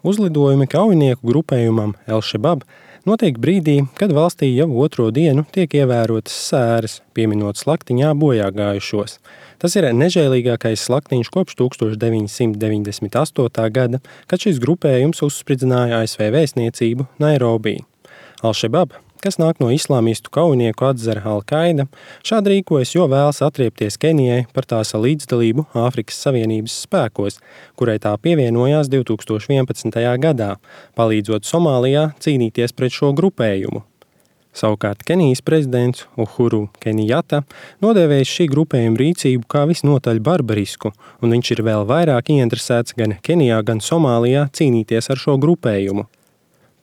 Uzlidojumi kaujinieku grupējumam El-Shabab notiek brīdī, kad valstī jau otro dienu tiek ievērotas sēras, pieminot slaktiņā bojāgājušos. Tas ir nežēlīgākais slaktiņš kopš 1998. gada, kad šis grupējums uzspridzināja ASV vēstniecību Nairobī. Al-Shabab, kas nāk no islāmistu kaujinieku atzara Al-Qaida, šādi rīkojas, jo vēlas atriepties Kenijai par tās līdzdalību Āfrikas Savienības spēkos, kurai tā pievienojās 2011. gadā, palīdzot Somālijā cīnīties pret šo grupējumu. Savukārt Kenijas prezidents Uhuru Kenijata nodēvējis šī grupējuma rīcību kā visnotaļ barbarisku, un viņš ir vēl vairāk ieinteresēts gan Kenijā, gan Somālijā cīnīties ar šo grupējumu.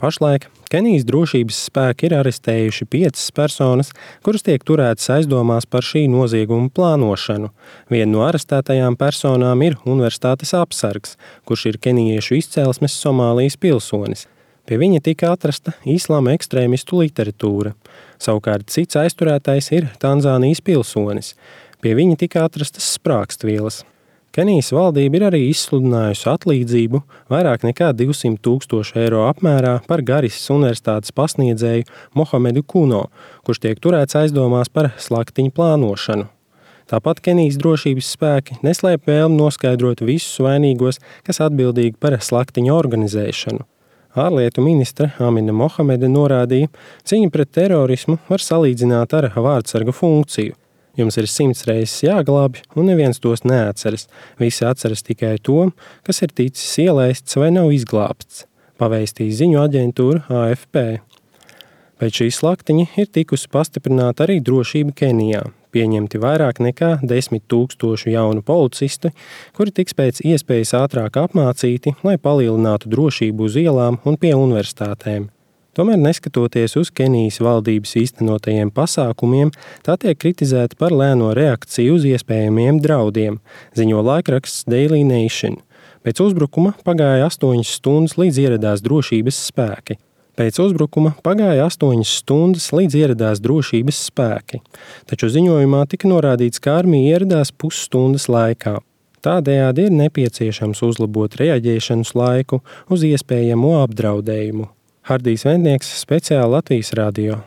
Pašlaik Kenijas drošības spēki ir arestējuši 5 personas, kuras tiek turētas aizdomās par šī nozieguma plānošanu. Viena no arestētajām personām ir universitātes apsargs, kurš ir kenijiešu izcelsmes Somālijas pilsonis. Pie viņa tika atrasta islāma ekstrēmistu literatūra. Savukārt cits aizturētais ir Tanzānijas pilsonis. Pie viņa tika atrastas sprākstvielas. Kenijas valdība ir arī izsludinājusi atlīdzību vairāk nekā 200,000 eiro apmērā par Garisas universitātes pasniedzēju Mohamedu Kuno, kurš tiek turēts aizdomās par slaktiņu plānošanu. Tāpat Kenijas drošības spēki neslēp vēlmi noskaidrot visus vainīgos, kas atbildīgi par slaktiņu organizēšanu. Ārlietu ministre Amina Mohamede norādīja, cīņa pret terorismu var salīdzināt ar vārdsarga funkciju. Jums ir 100 reizes jāglābj, un neviens tos neatceras. Visi atceras tikai to, kas ir ticis ielaists vai nav izglābts, pavēstīja ziņu aģentūra AFP. Pēc šī slaktiņa ir tikusi pastiprināta arī drošība Kenijā. Pieņemti vairāk nekā 10,000 jaunu policistu, kuri tiks pēc iespējas ātrāk apmācīti, lai palielinātu drošību uz ielām un pie universitātēm. Tomēr, neskatoties uz Kenijas valdības īstenotajiem pasākumiem, tā tiek kritizēta par lēno reakciju uz iespējamiem draudiem, ziņo laikraksts Daily Nation. Pēc uzbrukuma pagāja 8 stundas, līdz ieradās drošības spēki. Taču ziņojumā tika norādīts, ka armija ieradās pusstundas laikā. Tādējādi ir nepieciešams uzlabot reaģēšanas laiku uz iespējamo apdraudējumu. Hardijs Vendnieks, speciāli Latvijas radio.